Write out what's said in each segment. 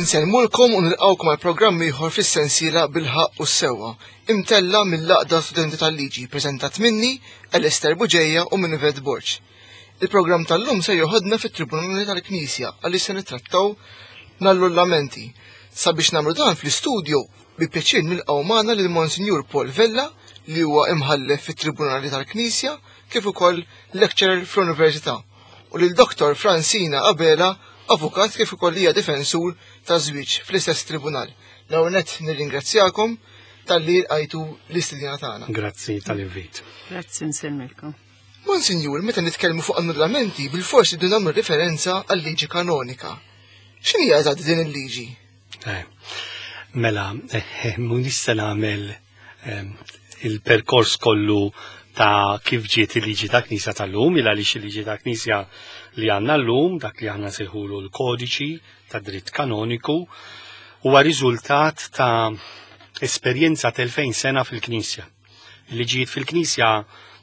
Insellmulkom u nilqgħukom għal programm ieħor fis-sensiela Bil-Ħaqq u s-Sewwa, imtella' mill-Għaqda Studenti tal-Liġi, preżentat minni, Alistair Bugeja u minn Yvette Borg. Il-programm tal-lum ser joħodna fit-Tribunali tal-Knisja għaliex se nittrattaw l-annullamenti. Sabiex nagħmlu dan fl-istudju, bi pjaċir nilqgħu magħna lil Monsinjur Paul Vella li huwa imħallef fit-Tribunali tal-Knisja kif ukoll lecturer fl-Università u lil Dr. Francina Abela, avukat kif ukoll hija difensur ta' żwieġ fl-istess tribunal. L-ewwel nett nirringrazzjakom talli lqajtu l-istedina tagħna. Grazzi tal-invit. Grazzi nsellmilkom. Monsinjur, meta nitkellmu fuq annullamenti, bilfors irridu nagħmlu referenza għal-liġi kanonika. X'inhi eżatt din il-liġi? Eh, mela, eh, mhux se nagħmel eh, il-perkors kollu ta' kif ġiet il-liġi ta' Knisja tal-lum, il għaliex il-liġi ta' Knisja li għandna llum, dak li aħna sejħulu l-kodiċi ta' dritt kanoniku, huwa riżultat ta' esperjenza ta' 2000 sena fil-Knisja. Il-liġijiet fil-Knisja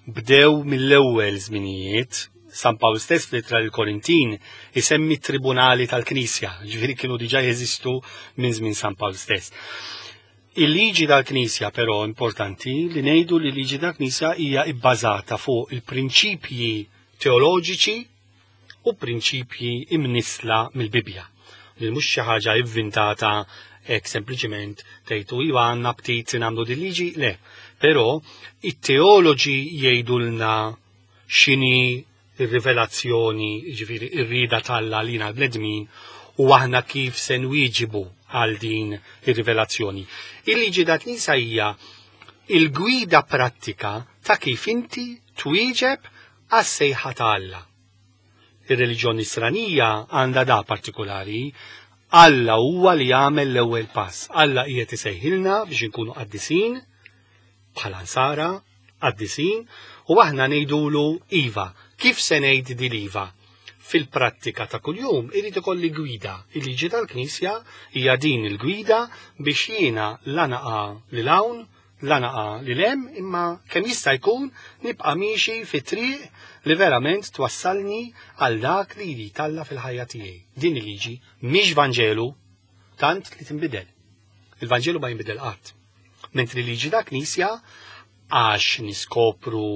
bdew mill-ewwel żminijiet, San Pawl stess fl-ittra lill-Korintin isemmi t-tribunali tal-Knisja, ġifieri kienu diġà jeżistu minn żmien San Pawl stess. Il-liġi tal-Knisja però importanti li ngħidu li l-liġi tal-Knisja hija bbażata fuq il-prinċipji teoloġiċi u prinċipji imnissla mill-Bibbja. Li mhux xi ħaġa ivvintata hekk sempliċiment tgħidu iva għandna ptit nagħmlu din liġi, le. Però it-teoloġi jgħidulna x'inhi ir-rivelazzjoni, jiġifieri ir-rieda t'Alla għalina l-bnedmin u aħna kif se nwieġibu għal din ir-rivelazzjoni. Il-liġi ta' Knisja hija il-gwida prattika ta' kif inti twieġeb għas-sejħa ta' Alla. Ir-reliġjon nisranija għandha da partikolari, Alla huwa li jagħmel l-ewwel pass. Alla qiegħed isejħilna biex inkunu qaddisin bħala nsara, qaddisin, u aħna ngħidulu iva. Kif se ngħid din iva? Fil-prattika ta' kuljum irid ikolli gwida. Il-liġi tal-Knisja hija din il-gwida biex jiena la naqa' lil hawn, la naqa' lil hemm, imma kemm jista' jkun nibqa' miexi fi triq li verament twassalni għal dak li jrid Alla fil-ħajja tiegħi. Din il-liġi mhix Vanġelu tant li tinbidel. Il-Vanġelu ma jinbidel qatt. Mentri liġi ta' Knisja għax niskopru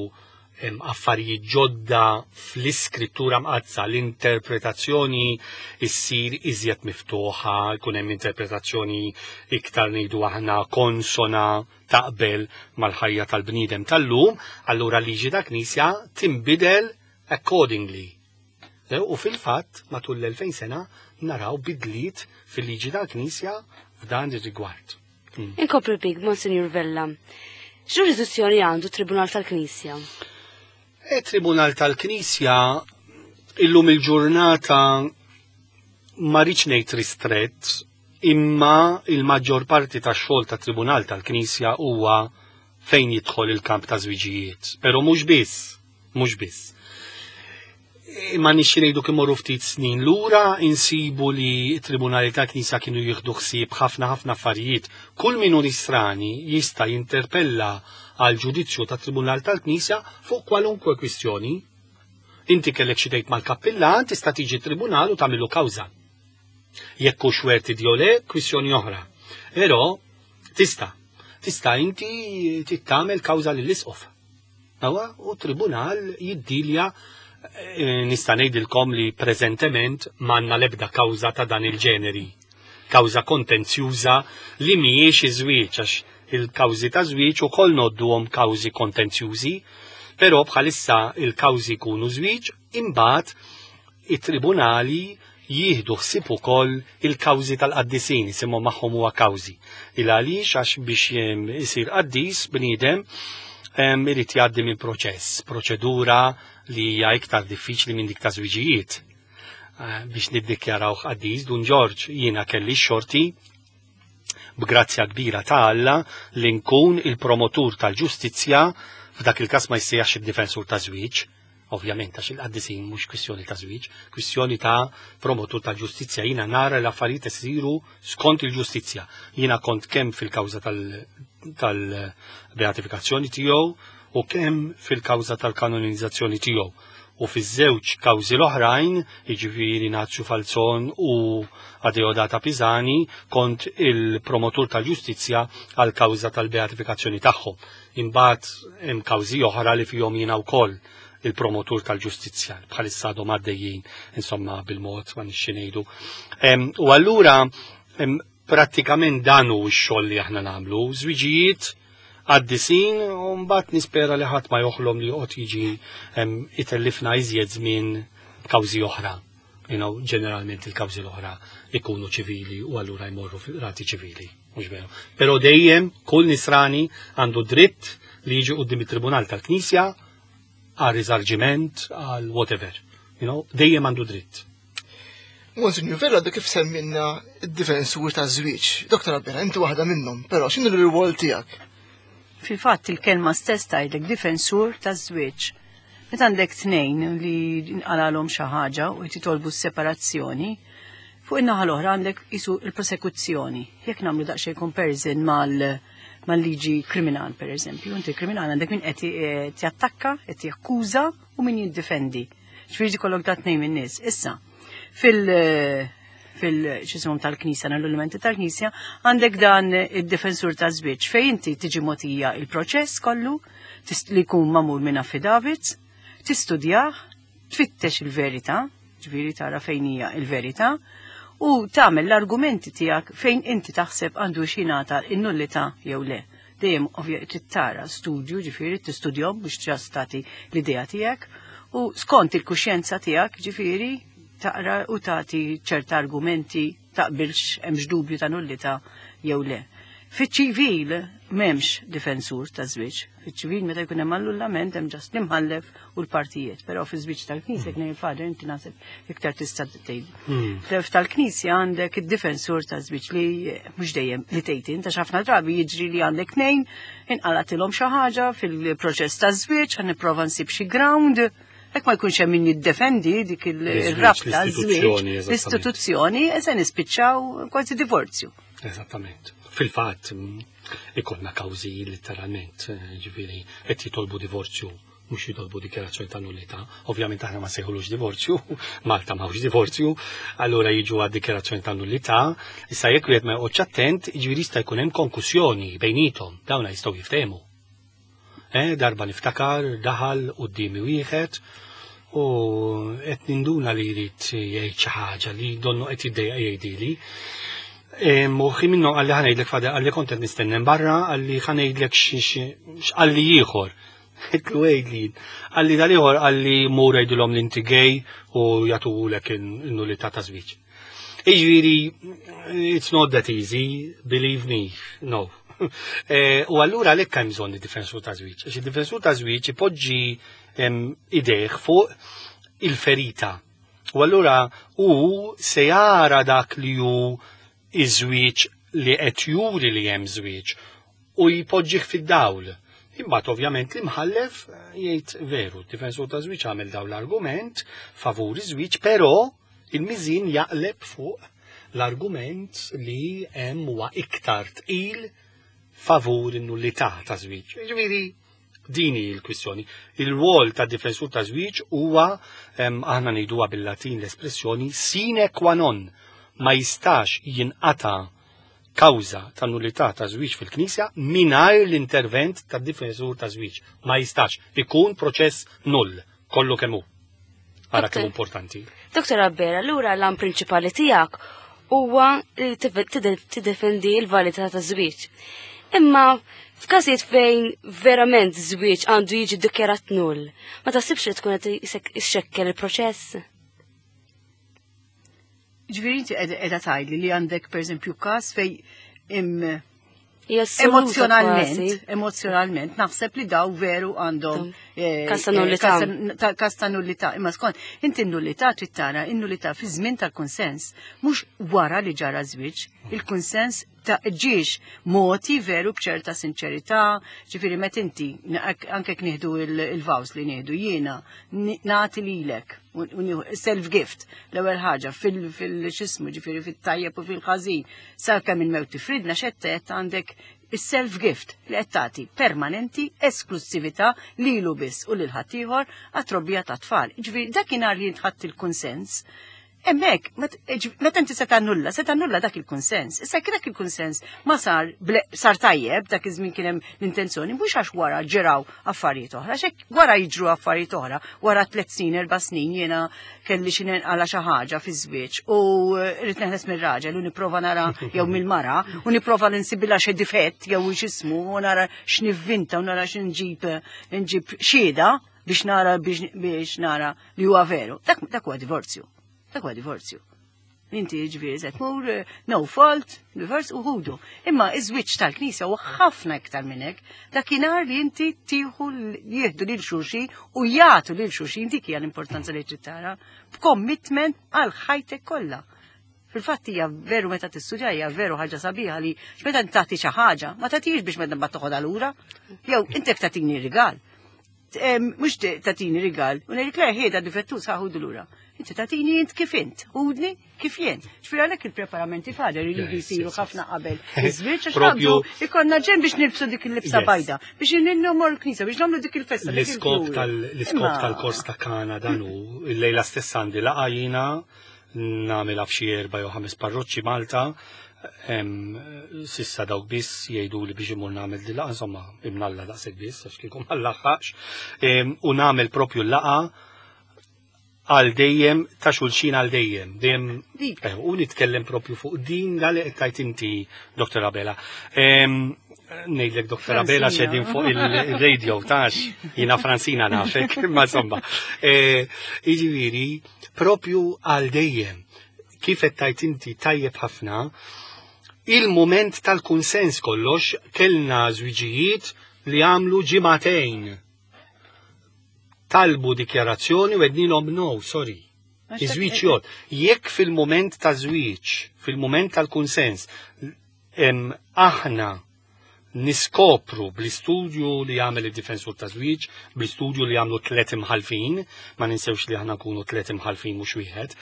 affarijiet ġodda fl-iskrittura mqaddsa, l-interpretazzjoni issir iżjed miftuħa, jkun hemm interpretazzjoni iktar ngħidu aħna konsona taqbel mal-ħajja tal-bniedem tal-lum, allura liġi ta' Knisja tinbidel accordingly. E, u fil-fatt, matul l-2000 sena, naraw bidliet fil-liġi tal-Knisja f'dan ir-rigward. Mm. Inkomplu bik, Monsignor Vella. X'ġurisdizzjoni għandu Tribunal tal-Knisja? E Tribunal tal-Knisja illum il-ġurnata ma rridx ngħid ristrett, imma il-maġġor parti tax-xogħol ta' Tribunal tal-Knisja huwa fejn jidħol il-kamp ta' żwiġijiet. Però mhux biss, mhux biss. Imma nixxi ngħidu kif morru ftit snin lura insibu li t-tribunali ta' Knisja kienu jieħdu ħsieb ħafna ħafna affarijiet. Kull min hu nisrani jista' jinterpella għal ġudizzju ta' tribunal tal-Knisja fuq kwalunkwe kwistjoni. Inti kellek xi tgħid mal-kappillan tista' tiġi tribunal u tagħmillu kawża. Jekk hux werti jew le, kwistjoni oħra. Però tista' tista' inti tagħmel kawża lill-isqof. Awa, u tribunal jiddilja eh, nista' ngħidilkom li preżentement m'għandna l-ebda kawża ta' dan il-ġeneri. Kawża kontenzjuża li mhijiex iż-żwieġ għax il-kawżi ta' żwieġ ukoll nodduhom kawżi kontenzjużi, però bħalissa il-kawżi jkunu żwieġ imbagħad it-tribunali jieħdu ħsieb ukoll il-kawżi tal-qaddisin, isimhom magħhom huwa kawżi. Il għaliex għax biex isir qaddis bniedem irid jgħaddi minn proċess, proċedura li hija iktar diffiċli minn dik ta' żwiġijiet. Eh, biex niddikjaraw qaddis Dun Ġorġ jiena kelli xorti b'grazzja kbira ta' Alla li nkun il-promotur tal-ġustizzja f'dak il-każ ma jsejjaħx id-difensur ta' żwieġ, Ovvjament, għax il-qaddisin mhux kwistjoni ta' żwieġ, kwistjoni ta' promotur ta' ġustizzja. Jiena nara l-affarijiet isiru skont il-ġustizzja. Jiena kont kemm fil-kawża tal-beatifikazzjoni tiegħu u kemm fil-kawża tal-kanonizzazzjoni tiegħu. U fiż-żewġ kawżi l-oħrajn, jiġifieri Nazju Falzon u Adeodata Pisani, kont il-promotur tal-ġustizzja għal kawża tal-beatifikazzjoni tagħhom. Imbagħad hemm kawżi oħra li fihom jiena wkoll il-promotur tal-ġustizzja, bħalissa għadhom għaddejjin, insomma, bil-mod ma nixxi ngħidu. U allura prattikament dan hu x-xogħol li aħna nagħmlu, żwiġijiet qaddisin u mbagħad nispera li ħadd ma joħlom li joqgħod jiġi itellifna iżjed żmien b'kawżi oħra. You know, ġeneralment il-kawżi l-oħra ikunu ċivili u allura jmorru fil-qrati ċivili, mhux veru. Però dejjem kull nisrani għandu dritt li jiġi quddiem it-Tribunal tal-Knisja għal riżarġiment, għal whatever. You know, dejjem għandu dritt. Monsignor Vella għadu kif semminna id-difensur ta' żwieġ. Doktor Abela, inti waħda minnhom, però x'inhu l-rwol tiegħek? Fil-fatt il-kelma stess tgħidlek difensur ta' żwieġ. Meta għandek tnejn li nqalalhom xi ħaġa u jtitolbu s-separazzjoni, fuq in-naħa l-oħra għandek isu il-prosekuzzjoni. Jekk nagħmlu daqsxejn comparison mal mal-liġi kriminal, per eżempju, inti kriminal għandek min qed jattakka, qed jakkuża u min jiddifendi. Ġifieri kollok da tnejn min-nies. Issa, fil fil-xisimum tal-Knisja, l-elementi tal-Knisja, għandek dan id-difensur ta' żwieġ fejn inti tiġi mogħtija il-proċess kollu li jkun magħmul minn affidavits, tistudjah, tfittex il-verità, ġifieri tara fejn hija il-verità, u tagħmel l-argumenti tiegħek fejn inti taħseb għandu x'jingħata in-nullità jew le. Dejjem ovvja trid tara studju, ġifieri tistudjahom biex ġast tagħti l-idea tiegħek u skont il-kuxjenza tiegħek, ġifieri taqra u tagħti ċerta argumenti taqbilx hemmx dubju ta' nullità jew le. Fiċ-ċivil m'hemmx difensur ta' żwieġ. Fiċ-ċivil meta jkun hemm annullament hemm ġast l-imħallef u l-partijiet, però fi żwieġ tal-Knisja kien il-fader inti naħseb iktar tista' tgħid. Tal-Knisja għandek id-difensur ta' żwieġ li mhux dejjem li tgħid int għax ħafna drabi jiġri li għandek tnejn inqalatilhom xi ħaġa fil-proċess ta' żwieġ ħa nipprova nsib xi ground. Hekk ma jkunx hemm min jiddefendi dik il-rabta żwieġ, l-istituzzjoni, e se nispiċċaw kważi divorzju. Eżattament. Fil-fatt, ikollna kawżi letteralment, ġifieri qed jitolbu divorzju, mhux jitolbu dikjarazzjoni ta' nullità. Ovvjament aħna ma sejħulux divorzju, Malta m'hawnx divorzju, allura jiġu għad dikjarazzjoni ta' nullità. Issa jekk wieħed ma joqgħodx attent, jiġifieri jista' jkun hemm konkussjoni bejnietom, dawna jistgħu jiftehmu. Darba niftakar daħal quddiemi wieħed u qed ninduna li jrid jgħid xi ħaġa li donnu qed jiddejjaq jgħidili. Moħħi minnu qalli ħa ngħidlek fader, qalli kont qed nistennem barra, qalli ħa ngħidlek x'qalli ieħor. Għidtlu għidli. Qalli dal-ieħor qalli mur għidilhom li inti gay u jagħtuhulek in-nullità ta' żwieġ. Jiġifieri, it's not that easy, believe me, no. U allura għalhekk hemm bżonn id-difensur ta' żwieġ, għax id-difensur ta' żwieġ ipoġġi idejh fuq il-ferita. U allura hu se jara dak li hu iż-żwieġ li qed juri li hemm żwieġ u jpoġġih fid-dawl. Imbagħad ovvjament l-imħallef jgħid veru, d-difensur ta' żwieġ għamel dawn l-argument favur iż-żwieġ, però il-miżin jaqleb fuq l-argument li hemm huwa iktar tqil favur in-nullità ta' żwieġ. Ġifieri din hi l-kwistjoni. Il-rwol ta' difensur ta' żwieġ huwa aħna ngħiduha bil-Latin l-espressjoni sine qua non, ma jistax jinqata' kawża ta' nullità ta' żwieġ fil-Knisja mingħajr l-intervent ta' difensur ta' żwieġ. Ma jistax ikun proċess null kollu kemm hu. Ara kemm importanti. Doktor Abela, allura l-għan prinċipali tiegħek huwa li tiddefendi l-validità ta' żwieġ. Imma f'każijiet fejn verament żwieġ għandu jiġi ddikjarat null, ma taħsibx li tkun qed ixxekkel il-proċess? Ġifieri inti qiegħda tgħidli li għandek pereżempju każ fejn Hija assoluta kważi. emozjonalment naħseb li daw veru għandhom, Każ ta' nullità. Każ ta' nullità. Imma skont inti n-nullità trid tara n-nullità fi żmien tal-kunsens, mhux wara li ġara żwieġ. Il-kunsens ta' ġiex moti veru b'ċerta sinċerità, ġifieri meta inti anke jekk nieħdu il-vows li nieħdu jiena nagħti lilek u nieħu self-gift l-ewwel ħaġa fil-xismu, ġifieri fit-tajjeb u fil-ħażin, sakemm il-mewt tifridna xettet għandek. Is-self-gift li qed tagħti permanenti esklussività lilu biss u lil ħaddieħor għat-trobbija tat-tfal. Ġifieri dakinhar li int ħadt il-kunsens, hemmhekk meta inti se tannulla, se tannulla dak il-kunsens. Issa jekk dak il-kunsens ma sar sar tajjeb dak iż-żmien kien hemm l-intenzjoni, mhux għax wara ġraw affarijiet oħra, għax hekk wara jiġru affarijiet oħra, wara tliet snin, erba' snin jiena kelli xi nenqala xi ħaġa fiż-żwieġ u rrid neħles mir-raġel u nipprova nara jew mill-mara u nipprova li nsibilha xi difett jew x'ismu u nara x'nivvinta u nara x'inġib nġib xhieda biex nara biex nara li huwa veru. Dak dak huwa divorzju. Dak huwa divorzju. Inti ġifieri se tmur eh, no fault, divorce u ħudu. Imma iż-żwieġ tal-Knisja huwa ħafna iktar minn hekk. Dakinhar li inti tieħu jieħdu lil xulxin u jagħtu lil xulxin dik hija l-importanza li trid tara b'commitment għal ħajtek kollha. Fil-fatt hija veru meta tistudja hija veru ħaġa sabiħa li meta tagħti xi ħaġa, ma tagħtix biex meta mbagħad toħodha lura. Jew inti tagħtini rigal. Mhux tagħtini rigal, u ngħidlek le ħieda difettuż ħaħudu lura. Inti tagħtini int kif int, ħudni kif jien. Ġifieri għalhekk il-preparamenti fader iridu jsiru ħafna qabel. Iż-żwieġ għax propju ikollna ġen biex nilbsu dik il-libsa bajda, biex ninnhom l-knisja, biex nagħmlu dik il-festa. L-iskop tal-iskop tal-kors ta' Kana dan hu, il-lejla stess għandi laqgħa jiena nagħmilha f'xi erba' jew ħames parroċċi Malta, sissa dawk biss jgħidu li biex imur nagħmel din laqgħa, insomma, imnalla daqshekk biss għax kieku ma nlaħħaqx, u nagħmel propju l-laqgħa għal dejjem ta' xulxin għal dejjem. Dejjem eh, u nitkellem propju fuq din li qed tajt inti, Dr. Abela. Ngħidlek Dr. Abela xedin fuq il-radio tax jiena Francina nafek, ma insomma. Eh, jiġifieri, propju għal dejjem. Kif qed tajt inti tajjeb ħafna, il-moment tal-kunsens kollox kellna żwiġijiet li għamlu ġimagħtejn. Talbu dikjarazzjoni u għednilhom no, sorry. Iż-żwieġ jgħod. Jekk fil-moment ta' żwieġ, fil-moment tal-kunsens, aħna niskopru bl-istudju li jagħmel id-difensur ta' żwieġ, bl-istudju li jagħmlu tliet imħalfin, ma ninsewx li aħna nkunu tliet imħalfin mhux wieħed.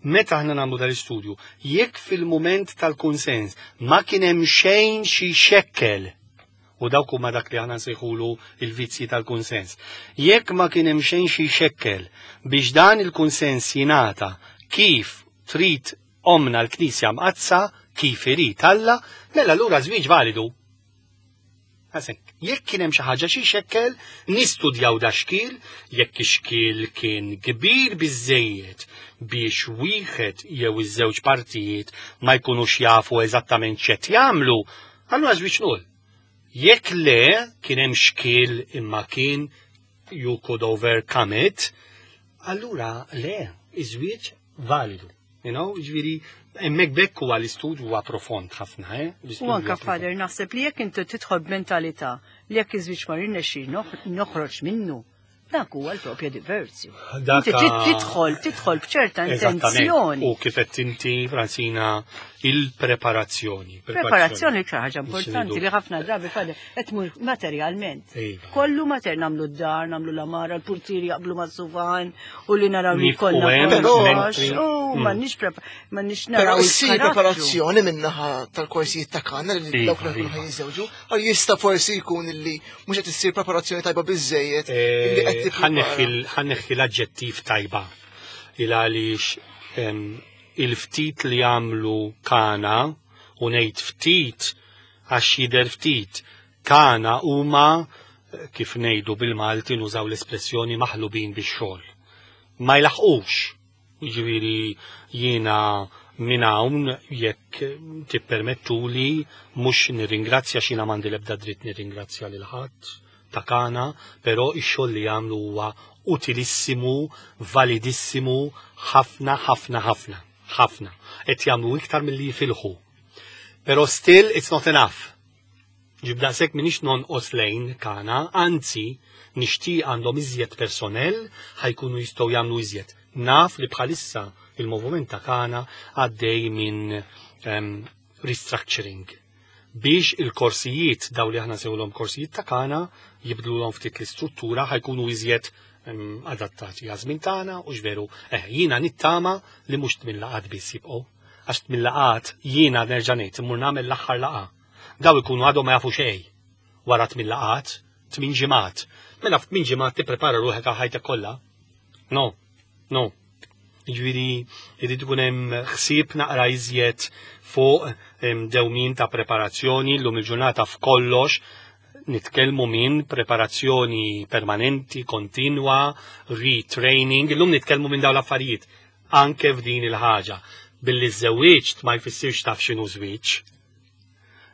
Meta aħna nagħmlu dal-istudju, jekk fil-mument tal-kunsens ma kien hemm xejn xi xekkel u dawk huma dak li aħna nsejħulu il-vizzji tal-kunsens. Jekk ma kien hemm xejn xi xekkel biex dan il-kunsens jingħata kif trid Ommna l-Knisja Mqaddsa kif irid Alla, mela allura żwieġ validu. Għasek, jekk kien hemm xi ħaġa xi xekkel, nistudjaw da xkiel, jekk ix-xkiel kien kbir biżejjed biex wieħed jew iż-żewġ partijiet ma jkunux jafu eżattament x'qed jagħmlu, allura żwieġ null. Jekk le kien hemm xkiel imma kien you could overcome it, allura le, iż-żwieġ validu. You know, ġviri, emmek bekk huwa l-istudju huwa profond ħafna, eh? U anka father naħseb li jekk inti tidħol b'mentalità li jekk iż-żwieġ ma rinexxi noħroġ minnu, dak huwa l-propja diverzju. Inti trid tidħol, tidħol b'ċerta intenzjoni. U kif qed inti, Francina, il-preparazzjoni. Preparazzjoni l ħaġa importanti li ħafna drabi father qed tmur materjalment. Iva. Kollu mater nagħmlu d-dar, nagħmlu l-amara, l-purtieri jaqblu mas-sufan u li naraw li kollha kollox. U mm. m'għandniex m'għandniex naraw. Però issir preparazzjoni min-naħa tal-korsijiet ta' kanna li iva, dawk li iva. jiżewġu, għal jista' forsi jkun illi mhux qed issir preparazzjoni tajba biżejjed. Eh, ħanneħħi l-aġġettiv tajba il għaliex il-ftit li għamlu kana u ngħid ftit għax jidher ftit. Kana huma, kif ngħidu bil-Malti nużaw l-espressjoni maħlubin bix-xogħol. Ma jlaħqux. Jiġifieri jiena minn hawn jekk tippermettuli mhux nirringrazzja x'jiena m'għandi l-ebda dritt nirringrazzja lil ħadd ta' Kana, però x-xogħol li jagħmlu huwa utilissimu, validissimu, ħafna ħafna ħafna. Ħafna. Qed jagħmlu iktar milli jifilħu. Pero still it's not enough. Ġib daqshekk minix nonqos lejn kana, anzi nixtieq għandhom iżjed personnel ħajkunu jistgħu jagħmlu iżjed. Naf li bħalissa il-moviment ta' kana għaddej minn um, restructuring biex il-korsijiet daw li aħna sewlhom korsijiet ta' kana jibdlulhom ftit l-istruttura ħajkunu iżjed ehm, adattati għażmin tagħna u x'veru eh, jiena nittama li mhux tmien laqat biss jibqgħu. Għax tmien laqat jiena nerġa' ngħid immur nagħmel l-aħħar laqgħa. Daw ikunu għadhom ma jafu xejn. Wara 8 laqgħat, 8 ġimgħat. Mela f'tmien ġimgħat tipprepara ruħek għal ħajtek kollha. No, no. Jiġifieri jrid ikun hemm ħsieb naqra iżjed fuq dewmien ta' preparazzjoni llum il-ġurnata f'kollox nitkellmu minn preparazzjoni permanenti, kontinwa, retraining, illum nitkellmu minn dawn l-affarijiet anke f'din il-ħaġa. Billi żżewwiġt ma jfissirx taf x'inhu żwieġ.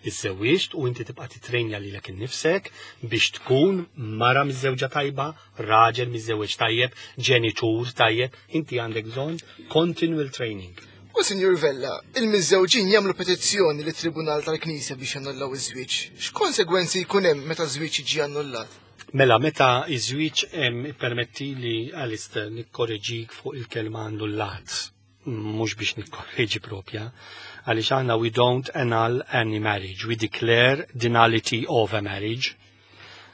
Iżżewwiġt u inti tibqa' titrejnja lilek innifsek biex tkun mara miżżewġa tajba, raġel miżżewweġ tajjeb, ġenitur tajjeb, inti għandek bżonn continual training. U Sinjur Vella, il-miżżewġin jagħmlu petizzjoni lit-Tribunal tal-Knisja biex jannullaw iż-żwieġ. X'konsegwenzi jkun hemm meta żwieġ jiġi annullat? Mela, meta iż-żwieġ permettili Alistair nikkoreġik fuq il-kelma annullat, mhux biex nikkorreġi propja, għaliex aħna we don't annul any marriage, we declare the nullity of a marriage.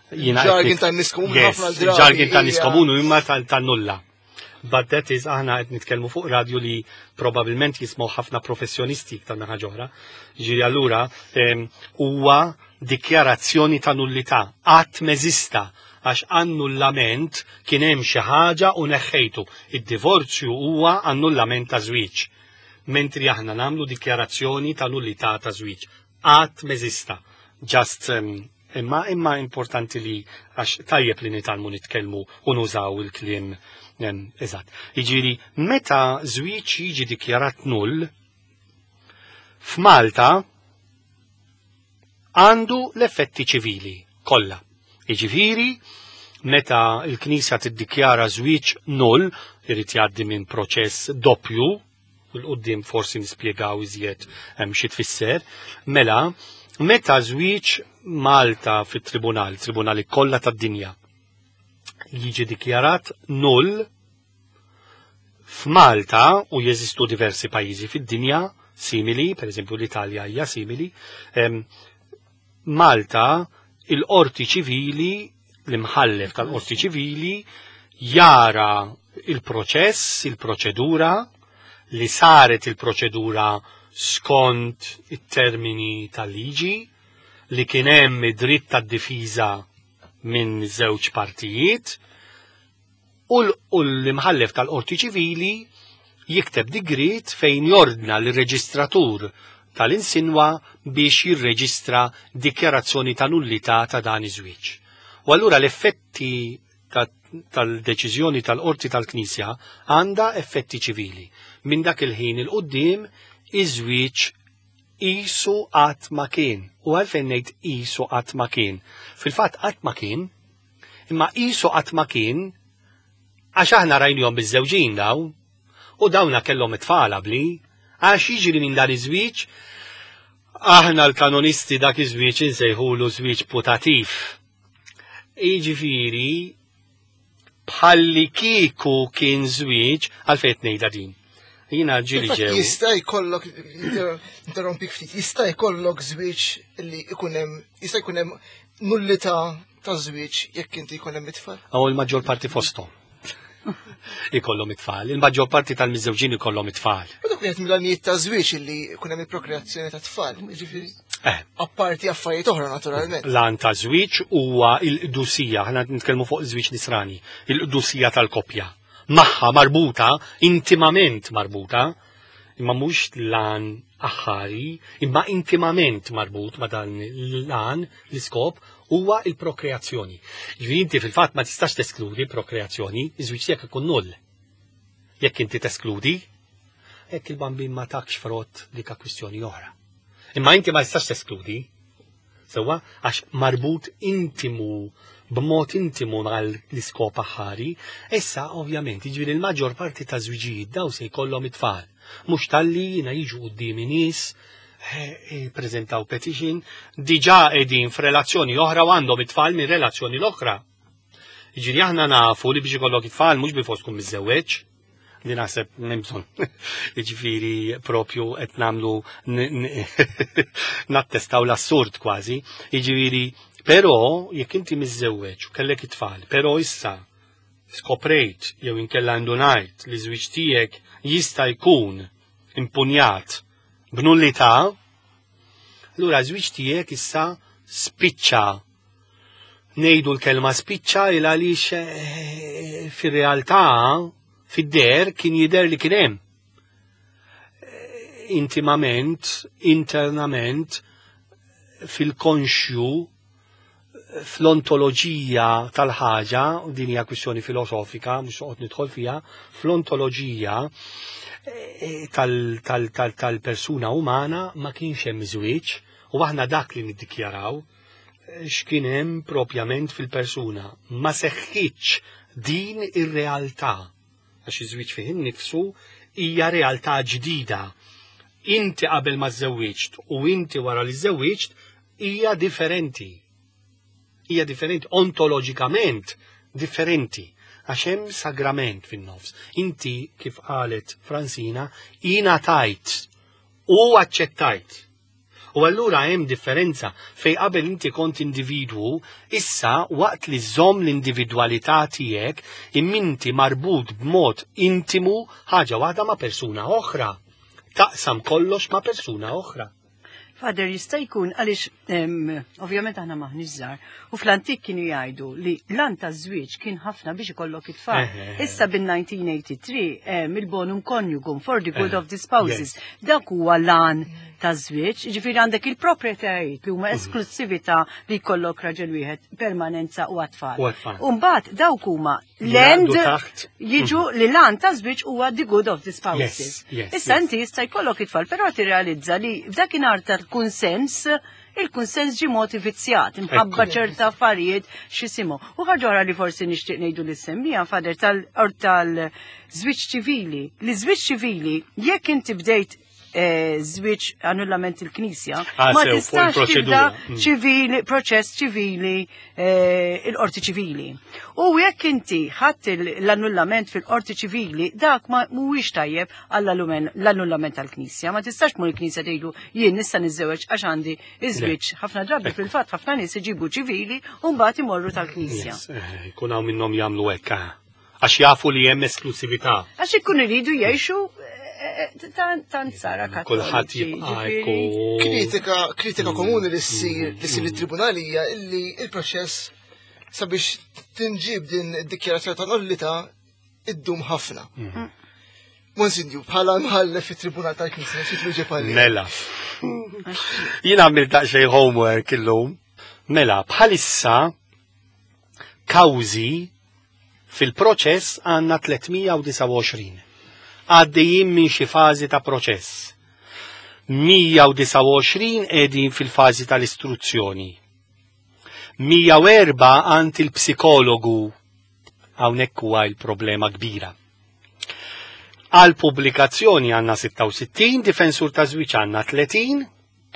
Jargon tan-nies komuni ħafna drabi. Jargon tan-nies komuni imma tan-nulla. But that is, aħna qed nitkellmu fuq radio li probabilment jismgħu ħafna professjonisti iktar minn ħaġa oħra. Ġifieri allura huwa dikjarazzjoni ta' nullità, qatt m'eżista għax annullament kien hemm xi ħaġa u neħħejtu. Id-divorzju huwa annullament ta' żwieġ. Mentri aħna nagħmlu dikjarazzjoni ta' nullità ta' żwieġ. Qatt m'eżista. Just imma imma importanti li għax tajjeb li nitgħallmu nitkellmu u nużaw il-kliem eżatt. Jiġifieri meta żwieġ jiġi dikjarat null, f'Malta għandu l-effetti ċivili kollha. Jiġifieri meta l-Knisja tiddikjara żwieġ null, irid jgħaddi minn proċess doppju, u l-qudiem forsi nispjegaw iżjed xi tfisser, mela meta żwieġ Malta fit-tribunal, tribunali kollha tad-dinja, jiġi dikjarat null f'Malta u jeżistu diversi pajjiżi fid-dinja simili, per eżempju l-Italja hija simili, Malta il-qorti ċivili, l-imħallef tal-qorti ċivili jara il-proċess, il-proċedura, li saret il-proċedura skont it-termini tal-liġi, li kien hemm id-dritt tad-difiża minn żewġ partijiet, u l-imħallef tal-qorti ċivili jikteb digriet fejn jordna l-reġistratur tal-insinwa biex jirreġistra dikjarazzjoni ta' nullità ta' dan iż-żwieġ. U allura l-effetti tal-deċiżjoni tal-qorti tal-Knisja għandha effetti ċivili. Minn dak il-ħin il-qudiem iż-żwieġ qisu qatt ma kien. U għalfejn ngħid qisu qatt ma kien? Fil-fatt qatt ma kien, imma qisu qatt ma kien għax aħna rajnihom biż-żewġin daw, u dawna kellhom it-tfal qabli, għax jiġri minn dan iż-żwieġ, aħna l-kanonisti dak iż-żwieġ insejħulu żwieġ putativ. Jiġifieri bħalli kieku kien żwieġ, għalfejn qed ngħidha din. Jiena ġieli ġew. Jista' jkollok, interrompik ftit, jista' jkollok żwieġ li jkun hemm, jista' jkun hemm nullità ta' żwieġ jekk inti jkun hemm it-tfal? Aw il-maġġor parti fosthom. Ikollhom it-tfal. Il-maġġor parti tal-miżżewġin ikollhom it-tfal. U dak wieħed mill-għanijiet ta' żwieġ illi jkun hemm il-prokreazzjoni ta' tfal, jiġifieri. Apparti affarijiet oħra naturalment. L-għan ta' żwieġ huwa l-qdusija, aħna nitkellmu fuq żwieġ nisrani, il-qdusija tal-koppja. Magħha marbuta, intimament marbuta, imma mhux l-għan aħħari, imma intimament marbut ma' dan l-għan, l-iskop, huwa il-prokreazzjoni. Ġifieri inti fil-fatt ma tistax teskludi prokreazzjoni, iż-żwieġ tiegħek ikun null. Jekk inti teskludi, jekk il-bambin ma takx frott dik kwistjoni oħra. Imma inti ma tistax teskludi, sewwa, għax marbut intimu, b'mod intimu mal l-iskop aħħari, issa ovvjament, jiġifieri l-maġġor parti ta' żwiġijiet daw se jkollhom it-tfal. Mhux talli jiena jiġu quddiemi nies, prezentaw petition, diġà qegħdin f'relazzjoni oħra u għandhom it-tfal minn relazzjoni l-oħra. Jiġifieri aħna nafu li biex ikollok it-tfal mhux bil-fors tkun miżżewweġ, li naħseb m'hemm bżonn. Jiġifieri propju qed nagħmlu nattestaw l-assurd kważi. Jiġifieri, però jekk inti miżżewweġ u kellek it-tfal, però issa skoprejt jew inkella ndunajt li żwieġ tiegħek jista' jkun impunjat b'nullità, Allura żwieġ tiegħek issa spiċċa. Ngħidu l-kelma spiċċa il għaliex fir-realtà fid-der kien jidher li kien hemm. Intimament, internament, fil-konxju, fl-ontoloġija tal-ħaġa, u din hija kwistjoni filosofika, mhux noqgħod nidħol fiha, fl-ontoloġija tal-persuna umana ma kienx hemm żwieġ, u aħna dak li niddikjaraw x'kien hemm propjament fil-persuna. Ma seħħitx din ir-realtà, għax iż-żwieġ fih innifsu hija realtà ġdida. Inti qabel ma żewwiġt u inti wara li żewwiġt hija differenti. Hija differenti, ontoloġikament differenti, għax hemm sagrament fin-nofs. Inti, kif qalet Fransina, ingħatajt u aċċettajt. U allura hemm differenza fej qabel inti kont individwu, issa waqt li żomm l-individwalità tiegħek imminti marbut b'mod intimu ħaġa waħda ma' persuna oħra. Taqsam kollox ma' persuna oħra. Father, jista' jkun għaliex ovvjament aħna maħniex żgħar u fl-antik kienu jgħidu li l-għan taż-żwieġ kien ħafna biex ikollok it-tfal. Issa bin-1983 il-bonum coniugum for the good of the spouses. Dak huwa l-għan taż-żwieġ, jiġifieri għandek il-proprjetajiet li huma esklusività li jkollok raġel wieħed, permanenza u għat-tfal. U għat-tfal. U mbagħad dawk huma l-end Jgħaddu taħt. jiġu li l-għan ta' żwieġ huwa the good of the spouses. Yes. Issa inti jista' jkollok it-tfal, però tirrealizza li f'dakinhar tal-kunsens, il-kunsens ġi mod vizzjat, imħabba ċerta affarijiet x'jisimhom. U ħaġa oħra li forsi nixtieq ngħidu li semmija Father tal-żwieġ ċivili. Li żwieġ ċivili, jekk inti bdejt żwieġ annullament il-Knisja, ma Sew, fuq tistax il-proċedura. tibda ċivili, proċess ċivili, il-qorti ċivili. U jekk inti ħadd l-annullament fil-qorti ċivili, dak ma mhuwiex tajjeb għall-annullament tal-Knisja. Ma tistax tmur il-Knisja tgħidu jien nista' niżżewweġ għax għandi iż-żwieġ. Ħafna drabi fil-fatt ħafna nies iġibu ċivili u mbagħad imorru tal-Knisja. Yes, jkun hawn minnhom jagħmlu hekk, għax jafu li hemm esklusività. Għax ikun iridu jgħixu tant sara kattoliċi. Kulħadd jibqa' ġifieri. jkun. Kritika komuni li ssir lit-tribunali hija illi il-proċess sabiex tinġib din id-dikjarazzjoni ta' nullità iddum ħafna. Monsinju, bħala mħallef fit-tribunal tal-Knisja, xi twieġeb għalih? Mela. Jien għamilt daqsxejn homework illum. Mela, bħalissa kawżi fil-proċess għandna 329. Għaddejjin minn xi fażi ta' proċess. 129 qegħdin fil-fażi tal-istruzzjoni. 104 għand il-psikologu. Hawnhekk huwa il-problema kbira. Għal pubblikazzjoni għandna 66, difensur ta' żwieġ għandna 30,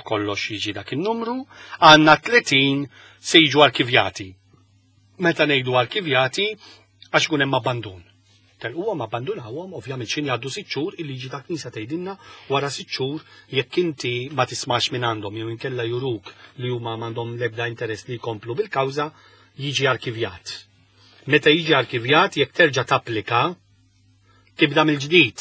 kollox jiġi dak il-numru, għandna 30 se jiġu arkivjati. Meta ngħidu arkivjati, għax ikun hemm abbandun. Telquhom abbandunawhom, ovvjament xin jgħaddu 6 xhur, il-liġi ta' Knisja tgħidilna wara 6 xhur jekk inti ma tismax minn għandhom jew inkella juruk li huma m'għandhom l-ebda interess li jkomplu bil-kawża, jiġi arkivjat. Meta jiġi arkivjat, jekk terġa' tapplika, tibda mill-ġdid.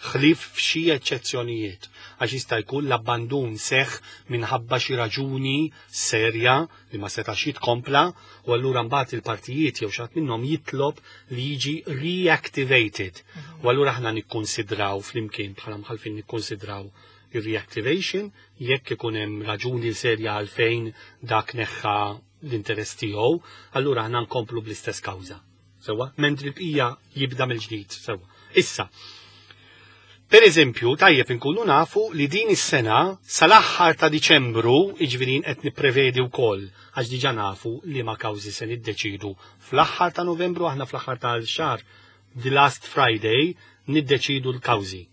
Ħlif f'xi eċċezzjonijiet, għax jista' jkun l-abbandun seħ minħabba xi raġuni serja li ma setax jitkompla, u allura mbagħad il-partijiet jew xi ħadd minnhom jitlob li jiġi reactivated. U allura aħna nikkonsidraw flimkien bħala mħalfin nikkonsidraw il-reactivation jekk ikun hemm raġuni serja għalfejn dak neħħa l-interess tiegħu, allura aħna nkomplu bl-istess kawża. Sewwa, mentri l-bqija jibda mill-ġdid, sewwa. Issa, per eżempju, tajjeb inkunu nafu li din is-sena sal-aħħar ta' Diċembru, jiġifieri qed nipprevedi wkoll għax diġà nafu li ma kawżi se niddeċidu. Fl-aħħar ta' Novembru, aħna fl-aħħar tal-xahar, the last Friday, niddeċidu l-kawżi.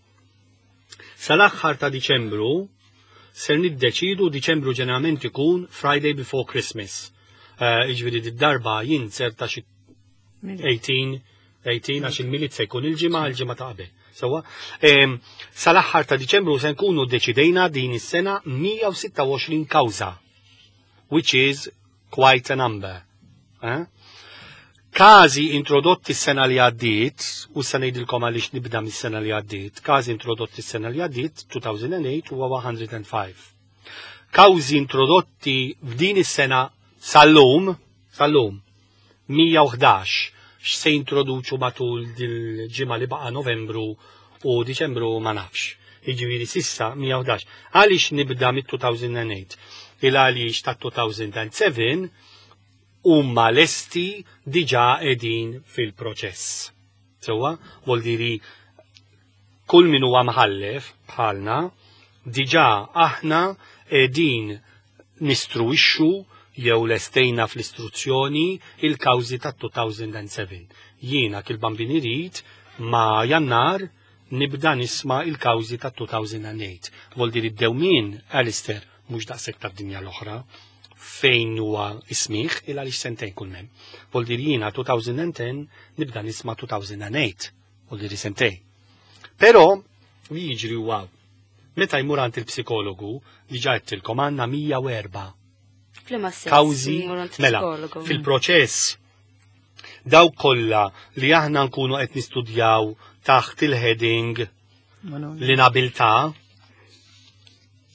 Sal-aħħar ta' Diċembru ser niddeċidu, Diċembru ġeneralment ikun Friday before Christmas. Jiġifieri d-darba jien ser ta' xi 18, 18 għax il-Milied se jkun il-ġimgħa, il-ġimgħa ta' qabel. Sewwa, sal-aħħar ta' Diċembru se nkunu deċidejna din is-sena 126 kawża, which is quite a number. Każi introdotti s-sena li għaddiet, u sa ngħidilkom għaliex nibda mis-sena li għaddiet, każi introdotti s-sena li għaddiet, 2008, huwa 105. Kawżi introdotti f'din is-sena sal-lum, sal-lum, 111 x'se jintroduċu matul dil-ġimgħa li baqa' Novembru u Diċembru ma nafx. Jiġifieri sissa 111. Għaliex nibda mit-2008? Il għaliex ta' 2007 huma lesti diġà qegħdin fil-proċess. Sewwa, vuol diri kull min huwa mħallef bħalna diġà aħna qegħdin nistruwixxu jew lestejna fl-istruzzjoni il-kawżi ta' 2007. Jiena kil bambin irid ma' Jannar nibda nisma' il-kawżi ta' 2008. Vol diri d-dewmien, Alistair, mhux daqshekk tad-dinja l-oħra fejn huwa ismiħ il għaliex sentejn kull mem. Vol diri jiena 2010 nibda nisma' 2008, vol diri sentejn. Però li jiġri huwa meta jmur għand il-psikologu diġà għedtilkom għandna 104 F'liema sens kawżi jmur għand mela psikologu? fil-proċess dawk kollha li aħna nkunu qed nistudjaw taħt il-heading l-inabilità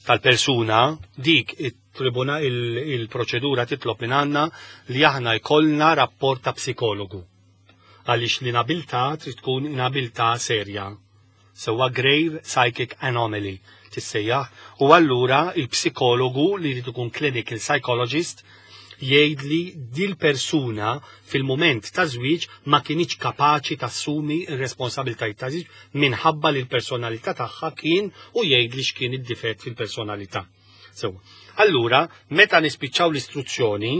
tal-persuna dik it-tribuna il-proċedura titlob minn għandna li aħna jkollna rapport ta' psikologu. Għaliex l-inabilità trid tkun inabilità serja. Sewwa grave psychic anomaly tissejjaħ u allura il-psikologu li jrid ikun clinical psychologist jgħid li dil persuna fil-moment ta' żwieġ ma kienx kapaċi tassumi r-responsabilitajiet ta' żwieġ minħabba li l-personalità tagħha kien u jgħid li x'kien id-difett fil-personalità. Sewwa. Allura, meta nispiċċaw l-istruzzjoni,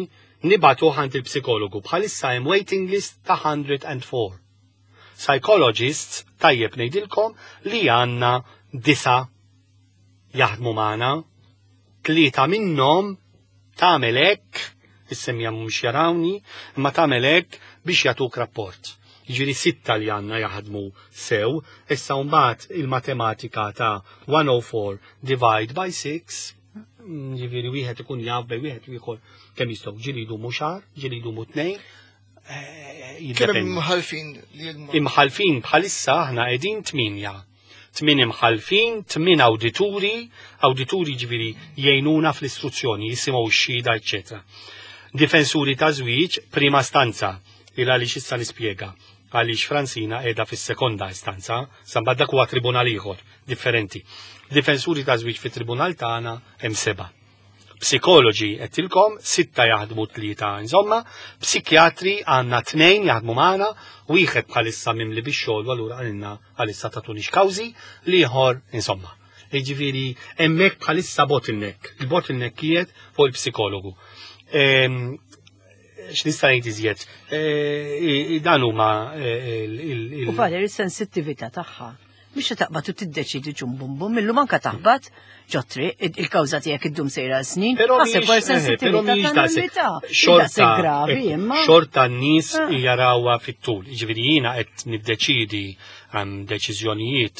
nibagħtu għand il-psikologu bħalissa hemm waiting list ta' 104. Psychologists, tajjeb ngħidilkom li għandna 9 jaħdmu magħna, 3 minnhom tagħmel hekk, issemmija mhux jarawni, imma tagħmel hekk biex jagħtuk rapport. Jiġifieri 6 li għandna jaħdmu sew, issa mbagħad il-matematika ta' 104 divide by 6, jiġifieri wieħed ikun jaf bej wieħed u ieħor kemm jistgħu, ġieli jdumu xahar, ġieli jdumu 2, Kemm jiddependi. imħalfin li jilma? Imħalfin bħalissa aħna qegħdin 8. 8 imħalfin, 8 awdituri, awdituri ġifieri jgħinuna fl-istruzzjoni, jisimgħu x-xhieda, eċċetera. Difensuri ta' żwieġ prima stanza, il għaliex issa nispjega, għaliex Francina qiegħda fis-sekonda istanza, samba dak huwa tribunal ieħor differenti. Difensuri ta' żwieġ fit-tribunal tagħna hemm 7. Psikoloġi qedtilkom, 6 jaħdmu 3 insomma, psikjatri għandna 2 jaħdmu magħna, wieħed bħalissa mimli bix-xogħol u allura qalilna għalissa tatunix kawżi, l-ieħor insomma. Jiġifieri hemmhekk bħalissa bottleneck, il-bottleneck qiegħed fuq il-psikologu. X'nista' ngħid iżjed? Dan huma il- U Valer, is-sensittività tagħha. Mhix se taqbad u tiddeċidi ġum bum bum, illum anka taħbat ġotri, il-kawża tiegħek iddum sejra snin, Però ħaseb mhijiex, wara però sensittività mhijiex ta' daqshekk. nullità. Xorta, Daqshekk gravi, imma. Xorta n-nies Ah. jarawha fit-tul. Jiġifieri jiena qed niddeċidi hemm deċiżjonijiet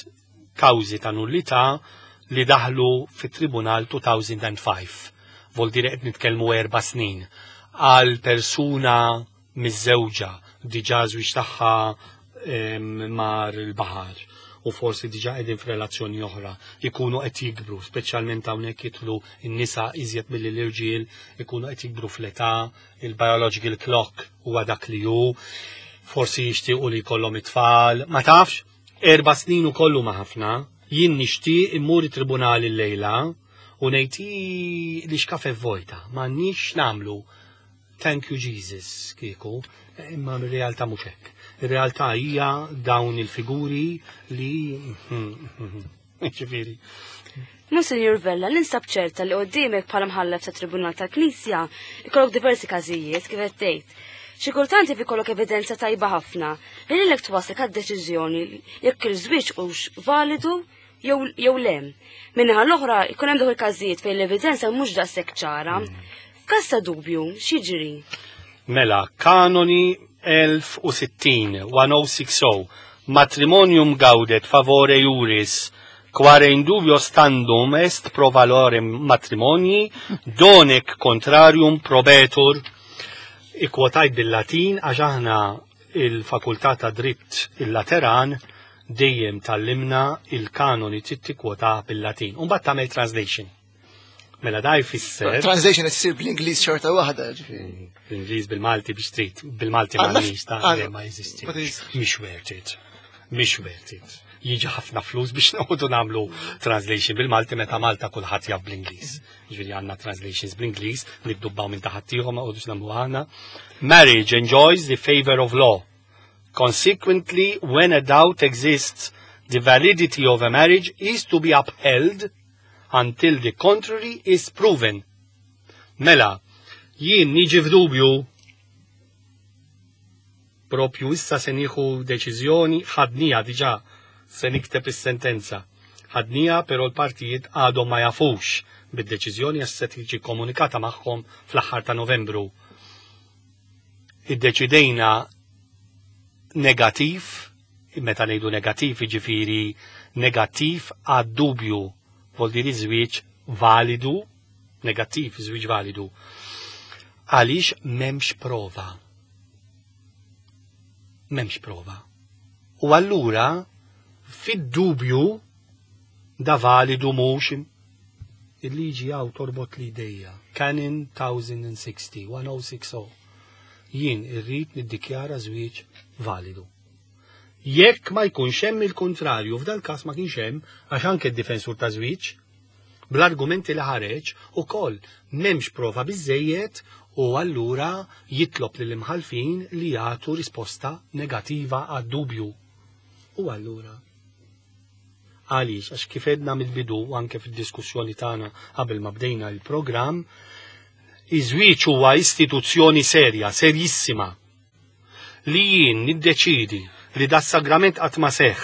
kawżi ta' nullità li daħlu fit-tribunal 2005. Vol dire qed nitkellmu 4 snin. Għal persuna miżżewġa diġà żwieġ tagħha mar il-baħar u forsi diġà qegħdin f'relazzjoni oħra, ikunu qed jikbru, speċjalment hawnhekk jidħlu n-nisa iżjed milli l-irġiel, ikunu qed jikbru fl-età, il-biological clock huwa dak li hu, forsi jixtiequ li jkollhom it-tfal, ma tafx, 4 snin ukoll huma ħafna, jien nixtieq immur it-tribunali llejla u ngħid li x'kafe vojta, m'għandniex nagħmlu. Thank you Jesus, kieku, imma r-realtà mhux hekk. Ir-realtà hija dawn il-figuri li ġifieri. Monsignor Vella, ninsab ċerta li qoddimek bħala mħallef ta' Tribunal tal-Knisja ikollok diversi każijiet kif qed tgħid. Xi kultant jaf ikollok evidenza tajba ħafna li lilek twaslek għad-deċiżjoni jekk il-żwieġ hux validu jew le. Min-naħa l-oħra jkun hemm dawk il-każijiet fejn l-evidenza mhux daqshekk ċara. F'każ ta' dubju, x'jiġri? Mela, kanoni 1060, 1060, matrimonium gaudet favore juris, quare in dubio standum est pro valore matrimonii, donec contrarium probetur. Ikkwotajt bil-Latin għax aħna il-fakultà ta' dritt il-Lateran dejjem tallimna il-kanoni trid tikkwota bil-Latin. U mbagħad tagħmel translation. Mela da jfisser. Translation qed issir bl-Ingliż xorta waħda, ġifieri. Bl-Ingliż bil-Malti biex trid, bil-Malti m'għandniex ta' ma jeżisti. Mhix worth it. Mhix worth it. Jiġi ħafna flus biex noqogħdu nagħmlu translation bil-Malti meta Malta kulħadd jaf bl-Ingliż. Ġifieri għandna translations bl-Ingliż, niddubbaw minn taħt ieħor ma qogħdux nagħmlu aħna. Marriage enjoys the favor of law. Consequently, when a doubt exists, the validity of a marriage is to be upheld until the contrary is proven. Mela, jien niġi f'dubju propju issa se nieħu deċiżjoni ħadnija diġà se nikteb is-sentenza. Ħadnija però l-partijiet għadhom ma jafux bid-deċiżjoni għax se tiġi komunikata magħhom fl-aħħar ta' Novembru. Iddeċidejna negattiv, meta ngħidu negattiv jiġifieri negattiv għad-dubju, vol diri żwieġ validu, negattiv żwieġ validu. Għaliex m'hemmx prova. M'hemmx prova. U allura fid-dubju da validu mhux il-liġi għaw torbot li dejja. Canon 1060, 1060. Jien irrid niddikjara żwieġ validu. Jekk ma jkunx hemm il-kontrarju, f'dal każ ma kienx hemm, għax anke d-difensur ta' żwieġ, bl-argumenti li ħareġ ukoll m'hemmx prova biżejjed u allura jitlob lill imħalfin li jagħtu risposta negativa għad-dubju. U allura Għaliex? Għax kif għedna mill-bidu u anke fid-diskussjoni tagħna qabel ma bdejna l-programm, iż-żwieġ huwa istituzzjoni serja, serjissima. Li jien niddeċidi li da sagrament qatt ma seħħ,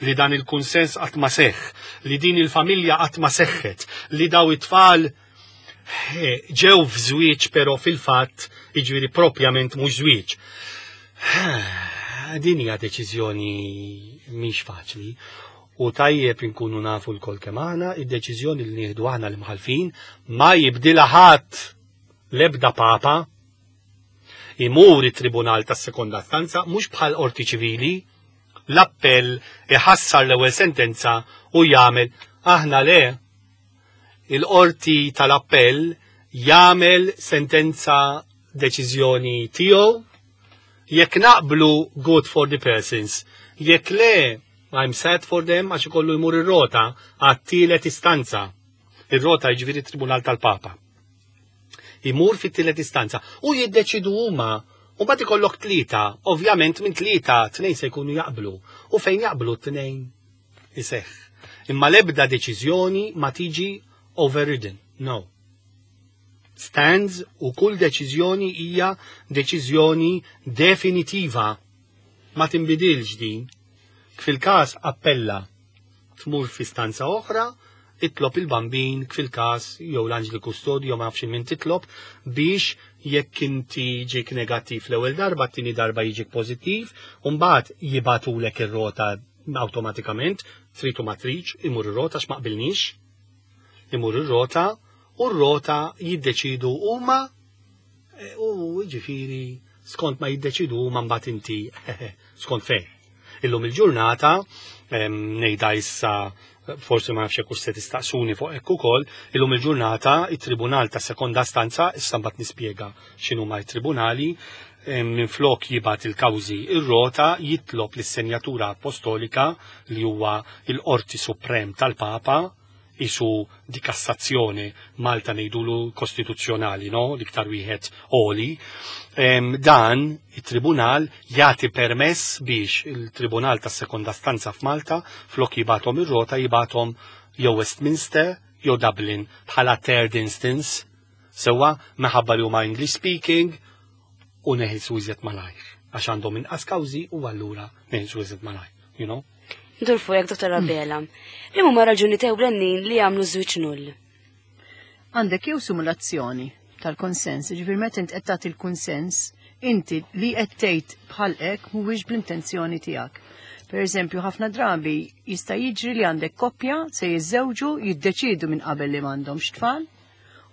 li dan il-kunsens qatt ma seħħ, li din il-familja qatt ma seħħet, li daw it-tfal eh, ġew f'żwieġ però fil-fatt jiġifieri propjament mhux żwieġ. Din hija deċiżjoni mhix faċli u tajjeb inkunu nafu l-kol kemm aħna, id-deċiżjoni li nieħdu aħna l-imħalfin ma jibdilha ħadd l-ebda papa imur it-tribunal tas-sekonda istanza mhux bħal qorti ċivili l-appell iħassar l-ewwel sentenza u jagħmel aħna le il-qorti tal-appell jagħmel sentenza deċiżjoni tiegħu jekk naqblu good for the persons jekk le I'm sad for them għax ikollu jmur ir-rota għat-tielet istanza. Ir-rota jiġifieri tribunal tal-Papa. Imur fit-tielet istanza u jiddeċidu huma u mbagħad ikollok tlieta, ovvjament minn tlieta tnejn se jkunu jaqblu u fejn jaqblu tnejn iseħħ. Imma l-ebda deċiżjoni ma tiġi overridden. No. Stands u kull deċiżjoni hija deċiżjoni definitiva. Ma tinbidilx din. Fil-każ appella tmur f'istanza oħra, itlob il-bambin fil-każ jew l-anġli kustodi jew ma nafx min titlob biex jekk inti ġik negattiv l-ewwel darba, t-tieni darba jiġik pożittiv, u mbagħad jibgħatulek ir-rota awtomatikament, trid u ma tridx, imur ir-rota x'ma qbilniex. Imur ir-rota u r-rota jiddeċidu huma e, u ġifieri skont ma jiddeċidu huma mbagħad inti skont fejn. Illum il-ġurnata ngħidha issa forsi ma nafx hekk se tistaqsuni fuq hekk ukoll, illum il-ġurnata it-Tribunal ta' Sekonda Stanza, issa mbagħad nispjega x'inhuma t-tribunali, minflok jibgħat il-kawżi ir-rota jitlob lis-Senjatura Apostolika li huwa l-Qorti Suprem tal-Papa isu di kassazzjoni Malta ngħidulu kostituzzjonali, no? L-iktar wieħed oli. Dan it-tribunal jagħti permess biex il-Tribunal tas sekonda stanza f'Malta flok jibgħathom ir-rota jibgħathom jew Westminster jew Dublin bħala third instance sewwa minħabba li huma English speaking u neħilsu iżjed malajr għax għandhom inqas kawżi u allura neħilsu iżjed malajr, you know? Ndur fuqek, Dottor Abela. Li huma raġuni tewlenin li jagħmlu żwieġ null? Għandek jew simulazzjoni tal-konsens, ġifier meta int qed tagħti l-kunsens, inti li qed tgħid bħalqek mhuwiex bl-intenzjoni tiegħek. Per eżempju, ħafna drabi jista' jiġri li għandek koppja se jiżżewġu jiddeċiedu minn qabel li m'għandhomx tfal,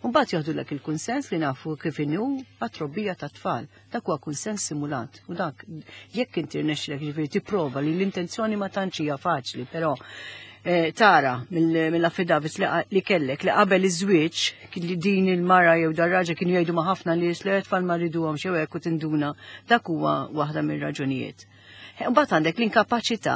u mbagħad joħdulek il-kunsens li nafu kif inhu għat-trobbija tat-tfal. Dak huwa kunsens simulat u dak jekk inti rnexxilek ġifieri tipprova li l-intenzjoni ma tantx hija faċli, però Tara mill-affidavits li kellek li qabel iż-żwieġ li din il-mara jew dar-raġel kienu jgħidu ma' ħafna nies li tfal ma rriduhom xew hekk u tinduna dak huwa waħda mir-raġunijiet. Mbagħad għandek l-inkapaċità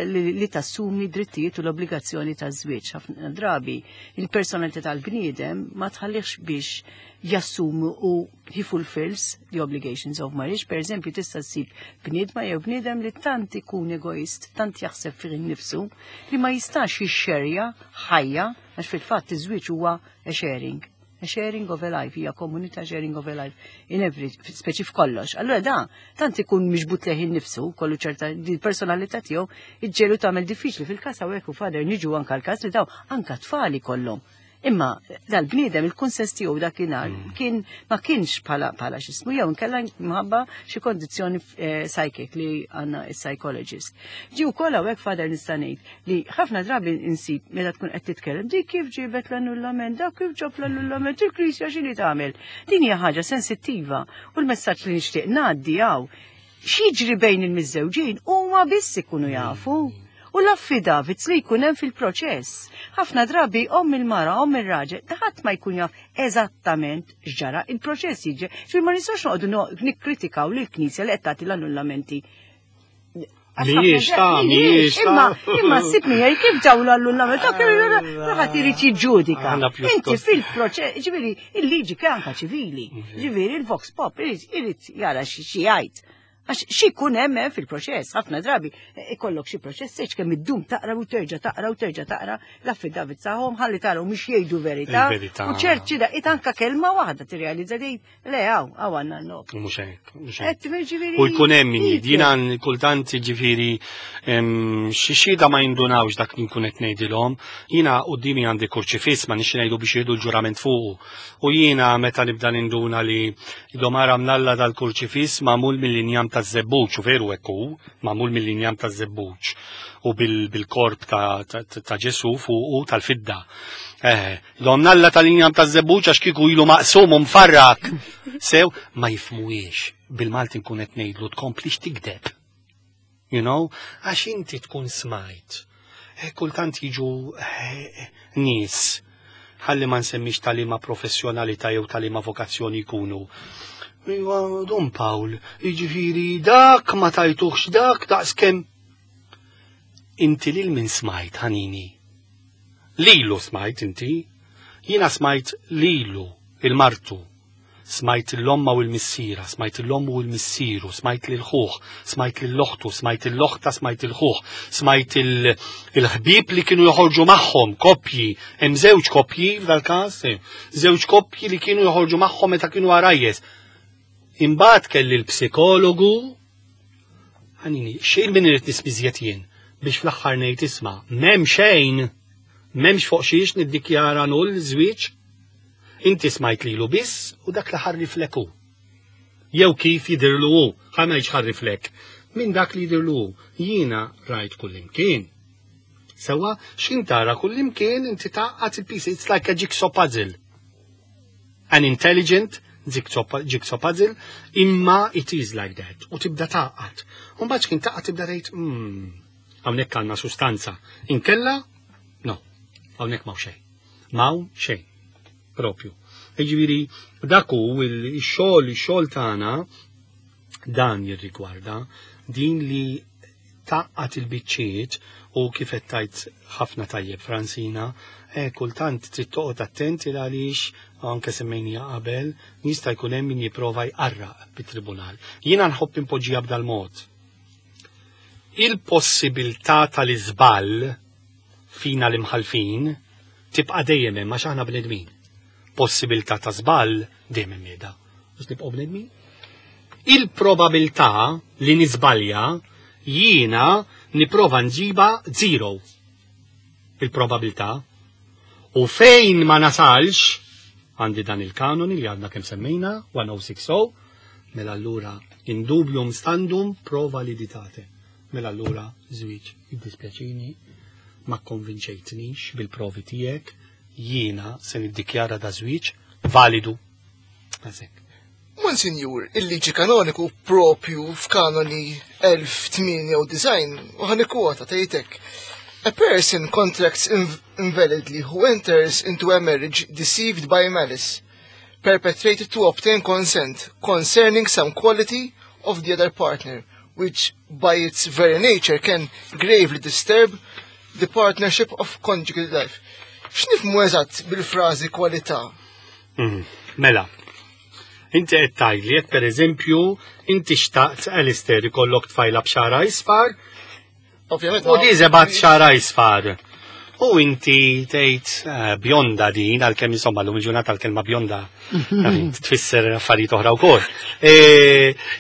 li tassumi drittijiet u l-obbligazzjoni taż-żwieġ. Ħafna drabi il-personalità tal-bniedem ma tħallihx biex jassumu u he fulfills the obligations of marriage. Per eżempju, tista' ssib bniedma jew bniedem li tant ikun egoist, tant jaħseb fih innifsu, li ma jistax jixxerja ħajja, għax fil-fatt iż-żwieġ huwa a sharing. A sharing of a life, hija komunità sharing of a life, in every, speċi f'kollox. Allura da, tant ikun miġbut lejh innifsu, kollu ċerta personalità tiegħu, iġġelu tagħmel diffiċli fil-każ hawnhekk u father niġu anka l-każ li daw anka tfali kollhom. Imma dal-bniedem il-kunsens tiegħu dakinhar kien ma kienx bħala x'ismu jew inkella mħabba xi kondizzjoni psychic li għandna is-psychologist. Ġi wkoll hawnhekk father nista' ngħid li ħafna drabi insib meta tkun qed titkellem dik kif ġibet l-annullament, dak kif ġab l-annullament, il-Knisja x'inhi tagħmel. Din hija ħaġa sensittiva u l-messaġġ li nixtieq ngħaddi hawn x'jiġri bejn il-miżżewġin huma biss ikunu jafu. U l-affidavits li jkun hemm fil-proċess. Ħafna drabi omm il-mara, omm ir-raġel, ħadd ma jkun jaf eżattament x'ġara il-proċess jiġi. Ġifieri ma nistgħux noqogħdu nikkritikaw lill-Knisja li qed tagħti l-annullamenti. Mhijiex ta' mhijiex ta' Imma ssib miegħi kif ġew l-annullament, dak ħadd irid jiġġudika. Inti fil-proċess, ġifieri il-liġi anka ċivili, ġifieri il-vox pop irid jara xi jgħid. Għax xi jkun hemm fil-proċess, ħafna drabi ikollok xi proċess seċ kemm iddum taqra u terġa' taqra u terġa' taqra l-affidavit tagħhom ħalli taraw mhux jgħidu verità. U ċerti da anka kelma waħda tirrealizza li le hawn hawn għandna n-nob. Mhux hekk, mhux hekk. U jkun hemm min jiena kultant ġifieri xi xhieda ma jindunawx dak li nkun qed ngħidilhom. Jiena quddiemi għandi kurċifiss ma nix ngħidu biex jieħdu l-ġurament fuqu. U jiena meta nibda ninduna li domara mnalla dal-kurċifiss magħmul mill-injam taż-żebbuġ, u veru hekk hu, magħmul mill-injam taż-żebbuġ u bil-korp ta' Ġesu fuqu tal-fidda. Domnalla tal-injam taż-żebbuġ għax kieku ilu maqsum u mfarrak. Sew ma jifmuhiex. Bil-Malti nkun qed ngħidlu tkomplix tikdeb. You know, għax inti tkun smajt. Kultant jiġu nies ħalli ma nsemmix tal-ima professjonalità jew tal-ima vokazzjoni jkunu. Iwa, Don Paul, jiġifieri dak ma tajtuħx dak daqskemm. Inti lil min smajt, ħanini? Lilu smajt inti? Jiena smajt lilu, il-martu. Smajt l-omma u l-missira, smajt l-ommu u l-missiru, smajt l-ħuħ, smajt l-oħtu, smajt l-oħta, smajt il-ħuħ, smajt il-ħbib li kienu joħorġu magħhom, koppji, hemm żewġ koppji f'dal-każ, żewġ koppji li kienu joħorġu magħhom meta kienu għarajjes. Imbagħad kelli l-psikologu, ħanini, xejn min irid nispiżjet jien biex fl-aħħar ngħid isma' m'hemm xejn, m'hemmx fuq xiex niddikjara null żwieġ. Inti smajt lilu biss u dak li ħarriflek hu. Jew kif jidirlu hu, ħa ngħidx ħarriflek, minn dak li jidirlu hu. Jiena rajt kullimkien. Sewa, x'in tara kullimkien inti tgħaqqad il-piece, it's like a jigsaw puzzle. An intelligent jigsaw puzzle, imma it is like that. U tibda tgħaqqad. U mbagħad x'kien tgħaqqad tibda tgħid, hawnhekk għandna sustanza. Inkella, no, hawnhekk m'hawn xejn. M'hawn xejn. Propju. Jiġifieri dak hu ix-xogħol, ix-xogħol tagħna dan jirrigwarda din li taqqat il-biċċiet u kif qed tgħid ħafna tajjeb Francina, kultant trid toqgħod attent il għaliex anke semmejnija qabel jista' jkun hemm min jipprova jqarraq bit-tribunal. Jiena nħobb impoġġiha b'dal-mod. Il-possibilità tal-iżball fina l-imħalfin tibqa' dejjem hemm għax aħna bnedmin. Possibilità ta' żball dejjem hemm qiegħda. Biex nibqgħu bnedmin. Il-probabilità li niżbalja jiena nipprova nġiba zero. Il-probabilità. U fejn ma nasalx, għandi dan il-kanoni li għadna kemm semmejna, 1060, mela allura in dubium standum pro validitate. Mela allura żwieġ jiddispjaċini ma konvinċejtnix bil-provi tiegħek, jiena se niddikjara da żwieġ validu. Għazek. Monsinjur, il-liġi kanoniku propju f'kanoni 1098 u ħanikwota tgħidek. A person contracts invalidly who enters into a marriage deceived by malice, perpetrated to obtain consent concerning some quality of the other partner, which by its very nature can gravely disturb the partnership of conjugal life. X'nifhmu eżatt bil-frażi kwalità? Mela, inti qed tgħidli jekk pereżempju inti xtaqt Alistair ikollok tfajla b'xara isfar, Ovvjament. U di żebgħat xara isfar. U inti tgħid bjonda din għalkemm insomma llum il-ġurnata l-kelma bjonda tfisser affarijiet oħra wkoll.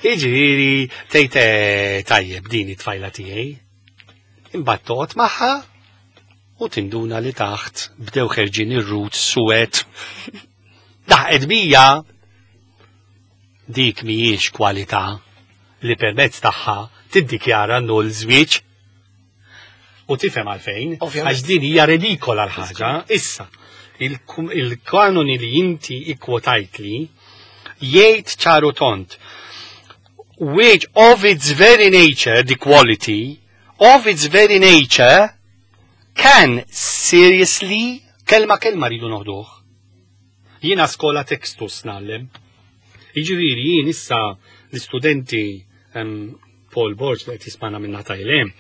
Jiġifieri tgħid tajjeb din it-tfajla tiegħi. Imbagħad toqgħod magħha u tinduna li taħt bdew ħerġin ir-roots suwed. Daħqet bija dik mhijiex kwalità li permezz tagħha tiddikjara null żwieġ. U tifhem għalfejn, għax din hija redikola l-ħaġa. Issa, il-kanoni li inti ikkwotajtli jgħid ċaru tont, which of its very nature, the quality, of its very nature, can seriously, kelma kelma rridu noħduh. Jiena skola textus ngħallem. Jiġifieri jien issa l-istudenti Paul Borg li qed jismana minna tajlem,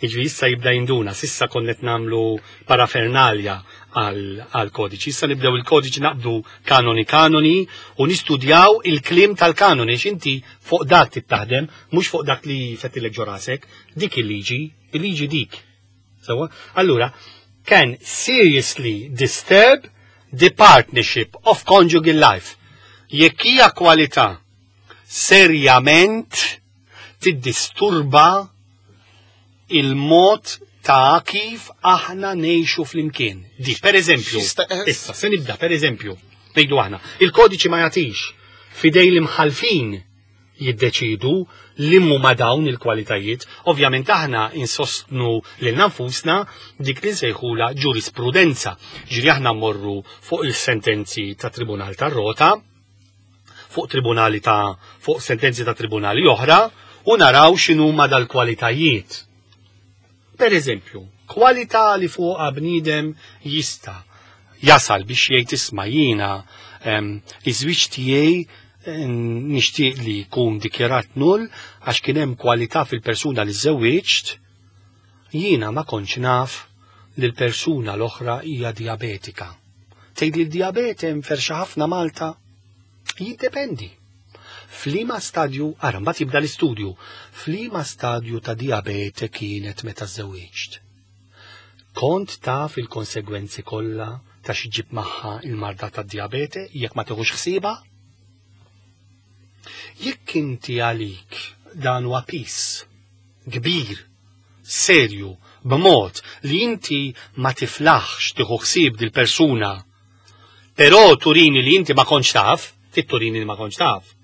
jiġifieri issa jibda jinduna, sissa konna qed nagħmlu parafernalja għal kodiċi, issa nibdew il-kodiċi naqbdu kanoni kanoni u nistudjaw il-kliem tal-kanoni, x'inti fuq dak trid taħdem, mhux fuq dak li fettilek ġo rasek, dik il-liġi, il-liġi dik. Sewa? Allura, can seriously disturb the partnership of conjugal life. Jekk hija kwalità serjament tiddisturba il-mod ta' kif aħna ngħixu flimkien. Di, per eżempju, issa, se nibda, per eżempju, ngħidu aħna, il-kodiċi ma jagħtix fidej l-imħalfin jiddeċidu li huma dawn il-kwalitajiet. Ovvjament aħna insostnu lil nfusna dik li nsejħula ġurisprudenza. Ġiri aħna mmorru fuq il-sentenzi ta' Tribunal tar-Rota, fuq tribunali ta' fuq sentenzi ta' tribunali oħra u naraw x'inhuma dal-kwalitajiet. Per eżempju, kwalità li fuqha bniedem jista' jasal biex jgħid isma' jiena iż-żwieġ tiegħi nixtieq li jkun dikjarat null għax kien hemm kwalità fil-persuna li żewwiġt, jiena ma kontx naf li l-persuna l-oħra hija diabetika. Tgħid li d-diabete mferxa ħafna Malta? Jiddependi. F'liema stadju, ara mbagħad jibda l-istudju, f'liema stadju ta' diabete kienet meta żewwiġt. Kont taf il-konsegwenzi kollha ta' xi ġib magħha il-marda tad-diabete jekk ma tieħux ħsiebha? Jekk inti għalik dan huwa piż kbir, serju, b'mod li inti ma tiflaħx tieħu ħsieb dil-persuna, però turini li inti ma kontx taf, titturini li ma kontx taf.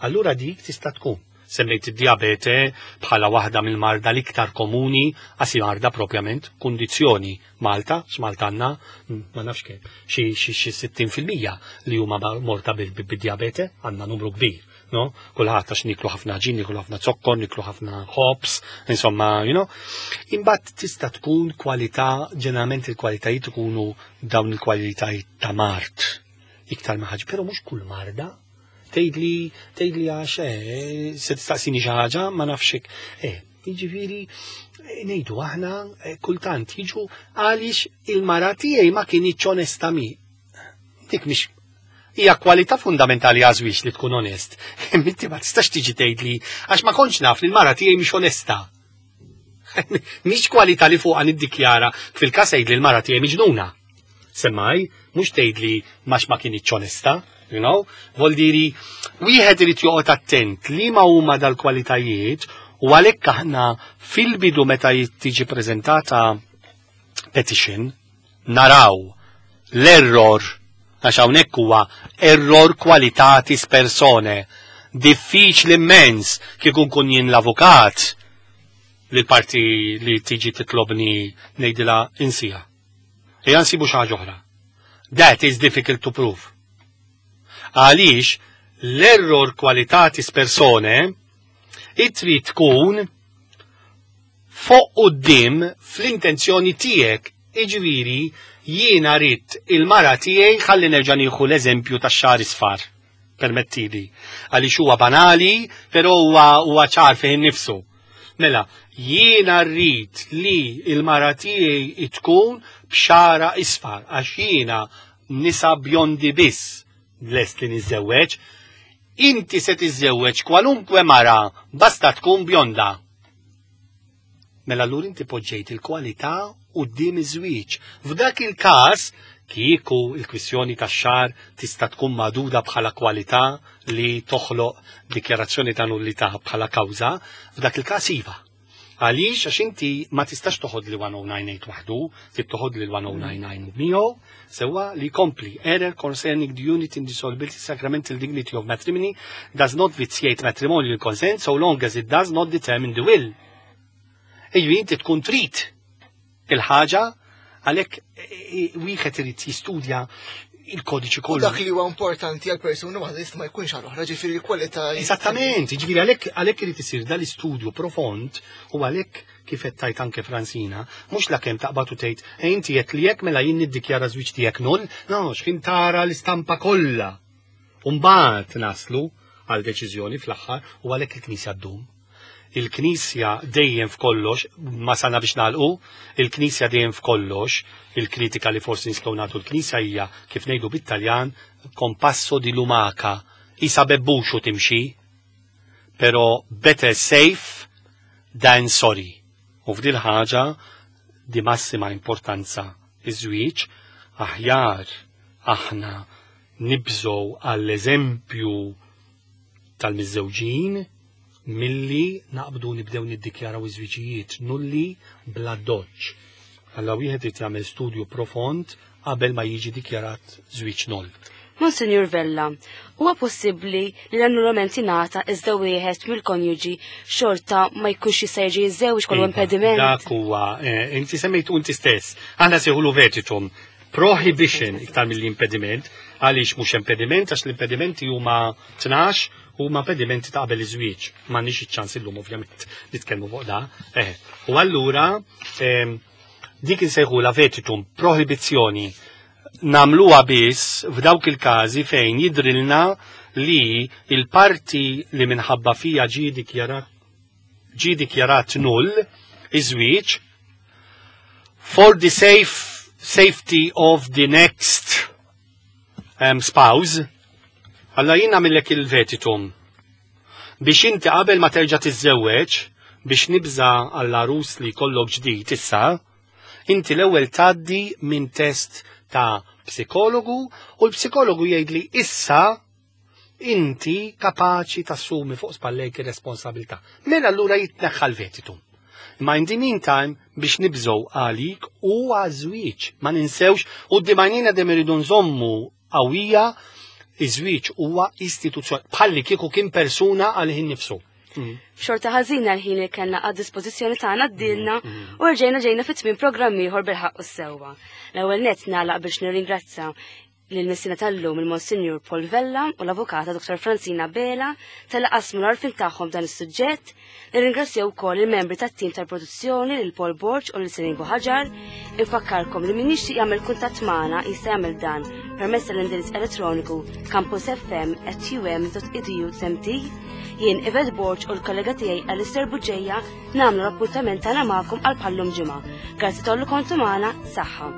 Allura dik tista' tkun. Semmejt id-diabete bħala waħda mill-marda l-iktar komuni, għasi marda propjament, kundizzjoni Malta, x'Malta għandna, ma nafx kemm, xi 60% li huma morta bid-diabete, għandna numru kbir, no? Kulħadd għax niklu ħafna ġin, niklu ħafna zokkor, niklu ħafna hops, insomma, you know. Imbagħad tista' tkun kwalità, ġeneralment il-kwalitajiet ikunu dawn il-kwalitajiet ta' mard. Iktar ma ħaġa, però mhux kull marda. Tgħidli għax se tistaqsini xi ħaġa, ma nafx hekk. Jiġifieri ngħidu aħna kultant jiġu għaliex il-mara tiegħi ma kinitx onesta mi. Dik mhix hija kwalità fundamentali għażwiex li tkun onest. Inti ma tistax tiġi tgħidli għax ma kontx naf li l-mara tiegħi mhix onesta. Mhix kwalità li fuqha niddikjara fil-każ tgħidli l-mara tiegħi miġnuna. Semmaj, mhux tgħidli max ma kinitx onesta, you know? Voldiri, wieħed irid joqgħod attent li ma huma dal-kwalitajiet u għalhekk aħna fil-bidu meta tiġi preżentata petition naraw l-error għax hawnhekk huwa error qualitatis persone. Diffiċli immens kieku nkun jien l-avukat li l-parti li tiġi titlobni ngħidilha insija. Ejja nsibu xi ħaġa oħra. That is difficult to prove. Għaliex l-error qualitatis persone trid tkun Fuq quddiem fl-intenzjoni tiegħek, jiġifieri jiena ridt il-mara tiegħi ħalli nerġa' nieħu l-eżempju tax-xagħar isfar. Permettili. Għaliex huwa banali, però huwa huwa ċar fih innifsu. Mela, jiena rrid li il-mara tiegħi tkun b'xara isfar għax jiena nisa bjondi biss lest li niżżewweġ. Inti se tiżżewweġ kwalunkwe mara basta tkun bjonda. Mela allura inti poġġejt il-kwalità quddiem iż-żwieġ. F'dak il-każ, kieku il-kwistjoni tax-xagħar tista' tkun magħduda bħala kwalità li toħloq dikjarazzjoni ta' nullità bħala kawża, f'dak il-każ iva. Għaliex għax inti ma tistax toħod li 1098 waħdu, trid toħod li 1099 miegħu, sewwa li jkompli error concerning the unity indissolubility sacramental dignity of matrimony does not vitiate matrimonial consent so long as it does not determine the will. Ejju inti tkun trid il-ħaġa għalhekk wieħed irid jistudja il-kodiċi kollu. Dak li huwa importanti għal persuna waħda jista' ma jkunx għal oħra, ġifieri l-kwalità. Eżattament, ġifieri għalhekk għalhekk irid isir dal-istudju profond u għalhekk kif qed tajt anke Fransina, mhux la kemm taqbad u tgħid e inti qed li hekk mela jien niddikjara żwieġ tiegħek null, no, x'ħin tara l-istampa kollha. U mbagħad naslu għal deċiżjoni fl-aħħar u għalhekk il-Knisja ddum. Il-Knisja dejjem f'kollox, ma sana biex nagħlqu, il-Knisja dejjem f'kollox, il-kritika li forsi nistgħu nagħtu l-Knisja hija kif ngħidu bit-Taljan compasso di lumaca, isa bebbuxu timxi, pero better safe than sorry. U f'dil ħaġa di massima importanza iż-żwieġ aħjar aħna nibżgħu għall-eżempju tal-miżżewġin milli naqbdu nibdew niddikjaraw iż-żwiġijiet nulli bla doċ. Alla wieħed irid jagħmel studju profond qabel ma jiġi dikjarat żwieġ null. Monsinjur Vella, huwa possibbli li l-annullament jingħata iżda wieħed mill-konjuġi xorta ma jkunx jista' jerġa' jiżżewġ kollu Iva, impediment? Dak huwa, eh, inti semmejtu inti stess. Aħna sejħulu vetitum. Prohibition iktar mill-impediment, għaliex mhux impediment, għax l-impedimenti huma 12 huma impedimenti ta' qabel iż-żwieġ. M'għandniex iċ-ċans illum ovvjament nitkellmu fuq da. Eh, u allura dik insejħula vetitum, prohibizzjoni. Namluha biss f'dawk il-każi fejn jidrilna li il-parti li minħabba fija ġie dikjarat ġie dikjarat null iż-żwieġ for the safe safety of the next spouse. Alla jien nagħmillek il-vetitum biex inti qabel ma terġa' tiżżewweġ biex nibża għall-għarus li jkollok ġdid issa, inti l-ewwel tgħaddi minn test ta' psikologu u l-psikologu jgħidli issa inti kapaċi tassumi fuq spallejk ir-responsabilità. Mela allura jitneħħa l-vetitum. Ma in the meantime biex nibżgħu għalik u għaż-żwieġ. Ma ninsewx u d-dimajnina dem iridu nżommu qawwija iż-żwieġ huwa istituzzjoni bħalli kieku kien persuna għal ħin nifsu. Xorta ħażina l-ħin li kellna għad dispożizzjoni tagħna d-dilna u rġejna ġejna fit tmiem programm ieħor bil-ħaqq u s-sewwa. L-ewwel nett nagħlaq biex nirringrazza lil missina tal-lum il-Monsinjur Paul Vella u l-Avukata Dr. Francina Bela tal qasmu l-għarfien tagħhom dan is-suġġett. Nirringrazzjaw ukoll il-membri tat-tim tal-produzzjoni lil Paul Borg u lil Senin Buħaġar. Infakkarkom li min jixtieq jagħmel kuntatt magħna jista' jagħmel dan permezz tal-indirizz elettroniku campusfm@um.edu.mt. Jien Yvette Borg u l-kollega tiegħi Alistair Buġeja nagħmlu l-appuntament tagħna magħkom għal bħallum ġimgħa. Grazzi tollu kontu magħna, saħħa.